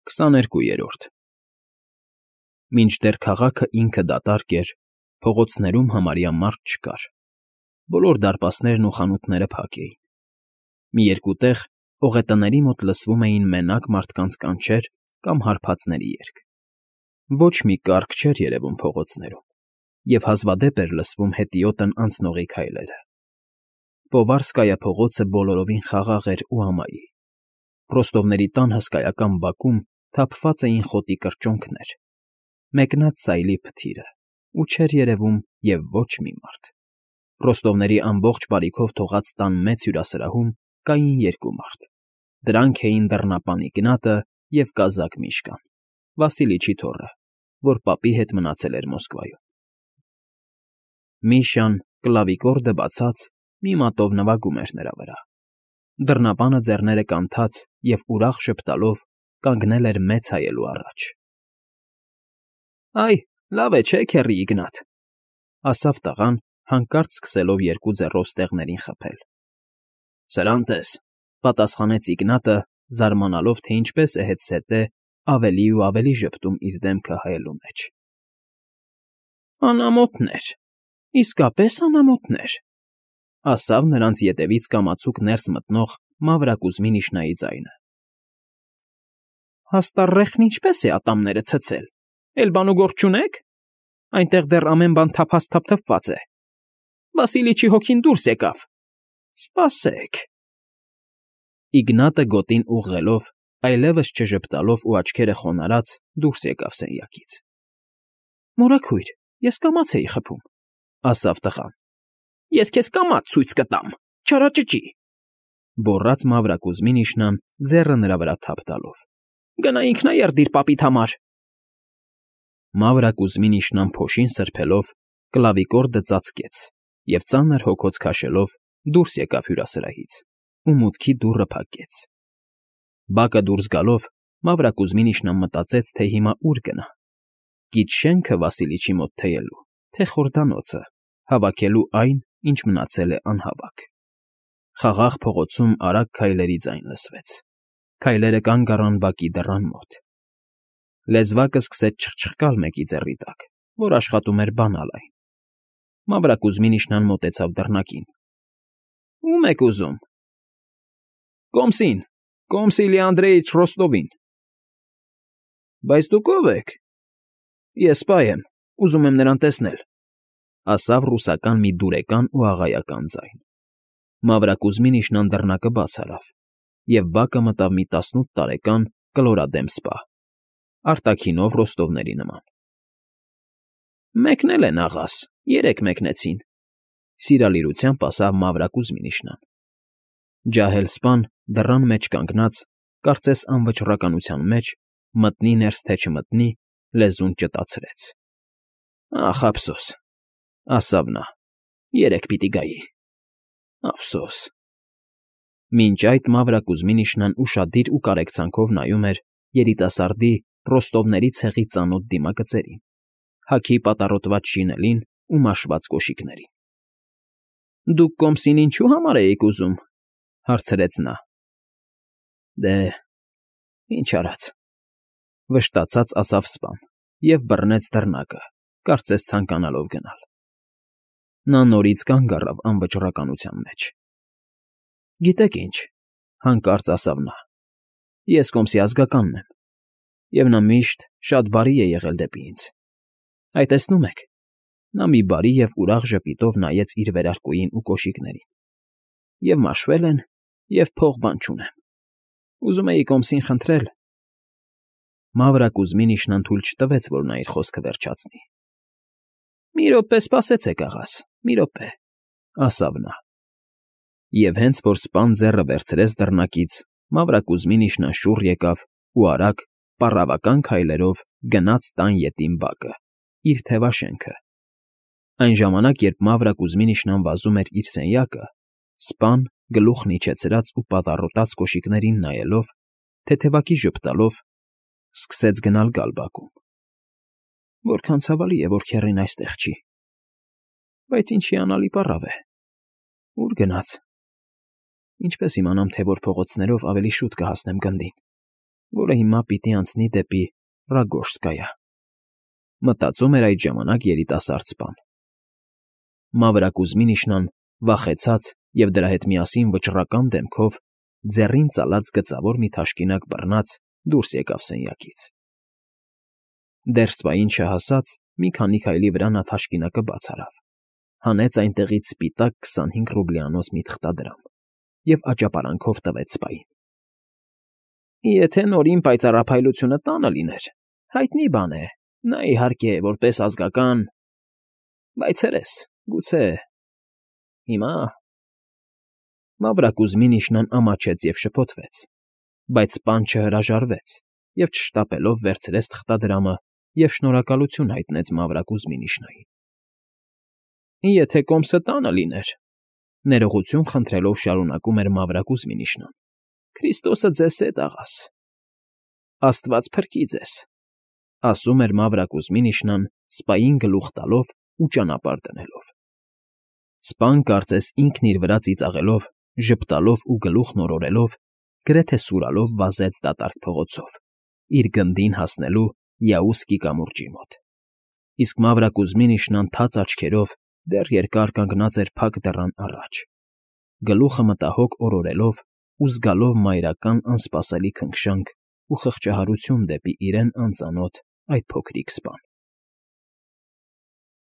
22-րդ Մինչդեռ քաղաքը ինքը դատարկ էր, փողոցներում համարյա մարդ չկար, բոլոր դարպասներն ու խանութները փակ էին. մի երկու տեղ ողետների մոտ լսվում էին մենակ մարդկանց կանչեր կամ հարբածների երգ. ոչ մի կառք չէր երևում փողոցներում, և հազվադեպ էր լսվում հետիոտն անցնողի քայլերը. Պովարսկայա փողոցը բոլորովին խաղաղ էր ու ամայի. Ռոստովների տան հսկայական բակում թափված էին խոտի կրճոնքներ, մեկնած սայլի փթիրը, ու չէր երևում և ոչ մի մարդ. Ռոստովների ամբողջ բարիքով թողած տան մեծ հյուրասրահում կային երկու մարդ. դրանք էին դռնապան Իգնատը և կազակ Միշկան, Վասիլիչի թոռը, որ պապի հետ մնացել էր Մոսկվայում. Միշան, կլավիկորդը բացած, մի մատով նվագում էր նրա վրա. դռնապանը ձեռները կանթած և ուրախ ժպտալով կանգնել էր մեծ հայելու առաջ. Այ, լավ է, չէ, քեռի Իգնատ,֊ ասավ տղան, հանկարծ սկսելով երկու ձեռով ստեղներին խփել։ Սրան տես,֊ պատասխանեց Իգնատը, զարմանալով, թե ինչպես է հետզհետե ավելի ու ավելի ժպտում իր դեմքը հայելու մեջ։ Անամոթներ, իսկապես անամոթներ,֊ ասավ նրանց ետևից կամացուկ ներս մտնող Մավրակուզմի Նիշնայի ձայնը։ Հաստառեխն ինչպես է ատամները ցցել, էլ բանուգործ չունե՞ք, այնտեղ դեռ ամեն բան թափած է, Վասիլիչի հոգին դուրս եկավ, սպասեք… Իգնատը գոտին ուղղելով, այլևս չժպտալով ու աչքերը խոնարհած դուրս եկավ սենյակից։ Մորաքույր, ես կամաց էի խփում,֊ ասավ տղան։ Ես քեզ կամաց ցույց կտամ, չարաճճի,֊ գոռաց Մավրակուզմի Նիշնան ձեռը նրա վրա թափ տալով։ Գնա ինքնաերդիր պապիդ համար… Մավրակուզմի Նիշնան փոշին սրբելով, կլավիկորդը ծածկեց և ծանր հոգոց քաշելով դուրս եկավ հյուրասրահից ու մուտքի դուռը փակեց։ Բակը դուրս գալով Մավրակուզմի Նիշնան մտածեց, թե հիմա ուր գնա. գիտշենքը Վասիլիչի մոտ թեյելու, թե խորդանոցը, հավաքելու այն, ինչ մնացել է անհավաք։ Խաղաղ փողոցում արագ քայլերի ձայն լսվեց. քայլերը կանգ առան բակի դռան մոտ։ Լեզվակը սկսեց չխչխկալ մեկի ձեռի տակ, որ աշխատում էր բանալ այն։ Մավրակուզմի Նիշնան մոտեցավ դռնակին։ Ո՞ւմ եք ուզում։ Կոմսին, Կոմսիլի Անդրեիչ Ռոստովին։ Բայց դուք ո՞վ եք։ Ես սպա եմ, ուզում եմ նրան տեսնել,֊ ասավ ռուսական մի դուրեկան ու աղայական ձայն։ Մավրակուզմի Նիշնան դռնակը բաց արավ, և բակը մտավ մի 18 տարեկան կլորադեմ սպա, արտաքինով ռոստովների նման։ Մեկնել են, աղաս, երեկ մեկնեցին,֊ սիրալիրությամբ ասավ Մավրակուզմի Նիշնան։ Ջահել սպան դռան մեջ կանգնած, կարծես անվճռականության մեջ, մտնի ներս թե չմտնի, լեզուն ճտացրեց։ Ախ, ափսոս,֊ ասավ նա,֊ երեկ պիտի գայի… ափսոս… Մինչ այդ Մավրակուզմի Նիշնան ուշադիր ու կարեկցանքով նայում էր երիտասարդի Ռոստովների ցեղի ծանոթ դիմագծերին, հագի պատառոտված շինելին ու մաշված կոշիկներին։ Դուք Կոմսին ինչու համար էիք ուզում,֊ հարցրեց նա։ Դե, ինչ արած,֊ վշտացած ասավ սպան և բռնեց դռնակը, կարծես ցանկանալով գնալ։ Նա նորից կանգ առավ անվճռականության մեջ։ Գիտեք ինչ,֊ հանկարծ ասավ նա,֊ ես Կոմսի ազգականն եմ, և նա միշտ շատ բարի է եղել դեպի ինձ։ Այ տեսնում եք, նա մի բարի և ուրախ ժպիտով նայեց իր վերարկուին ու կոշիկներին։ Եվ մաշվել են, և փող բան չունեմ։ Ուզում էի Կոմսին խնդրել… Մավրակուզմի Նիշնան թույլ չտվեց, որ նա իր խոսքը վերջացնի։ Մի րոպե սպասեցեք, աղաս, մի րոպե,֊ ասավ նա։ Եվ հենց որ սպան ձեռը վերցրեց դռնակից, Մավրակուզմի Նիշնան շուռ եկավ ու արագ, պառավական քայլերով գնաց տան ետին բակը, իր թևաշենքը։ Այն ժամանակ, երբ Մավրակուզմի Նիշնան վազում էր իր սենյակը, սպան, գլուխն իջեցրած ու պատառոտած կոշիկներին նայելով, թեթևակի ժպտալով, սկսեց գնալ֊գալ բակում։ Որքան ցավալի է, որ քեռին այստեղ չի… Բայց ինչ հիանալի պառավ է… Ո՞ւր գնաց… Ինչպե՞ս իմանամ, թե որ փողոցներով ավելի շուտ կհասնեմ գնդին… որը հիմա պիտի անցնի դեպի Ռագորսկայա, մտածում էր այդ ժամանակ երիտասարդ սպան։ Մավրակուզմինիշնան, վախեցած և դրա հետ միասին վճռական դեմքով, ձեռին ծալած գծավոր մի թաշկինակ բռնած դուրս եկավ սենյակից։ Դեռ սպային չհասած, մի քանի քայլի վրա նա թաշկինակը բաց արավ, հանեց այնտեղից սպիտակ 25 ռուբլյանոց մի թղթադրամ և աճապարանքով տվեց սպային։ Եթե Նորին պայծառափայլությունը տանը լիներ, հայտնի բան է, նա, իհարկե, որպես ազգական, բայց հերես, գուցե… Հիմա… Մավրակուզմինիշնան ամաչեց և շփոթվեց, բայց սպան չհրաժարվեց և չշտապելով վերցրեց թղթադրամը և շնորհակալություն հայտնեց Մավրակուզմինիշնային։ Եթե կոմսը տանը լիներ, ներողություն խնդրելով շարունակում էր Մավրակուզմինիշնան, Քրիստոսը ձեզ հետ, աղաս… Աստված փրկի ձեզ, ասում էր Մավրակուզմինիշնան, սպային գլուխ տալով ու ճանապարհ դնելով։ Սպան կարծես ինքն իր վրա ծիծաղելով, ժպտալով ու գլուխն օրորելով, գրեթե սուրալով վազեց դատարկ փողոցով, իր գնդին հասնելու Յաուսկի կամուրջի մոտ։ Իսկ Մավրակուզմինիշնան թաց աչքերով դեռ երկար կանգնած էր փակ դռան առաջ, գլուխը մտահոգ օրորելով ու զգալով մայրական անսպասելի քնքշանք ու խղճահարություն դեպի իրեն անծանոթ այդ փոքրիկ սպան։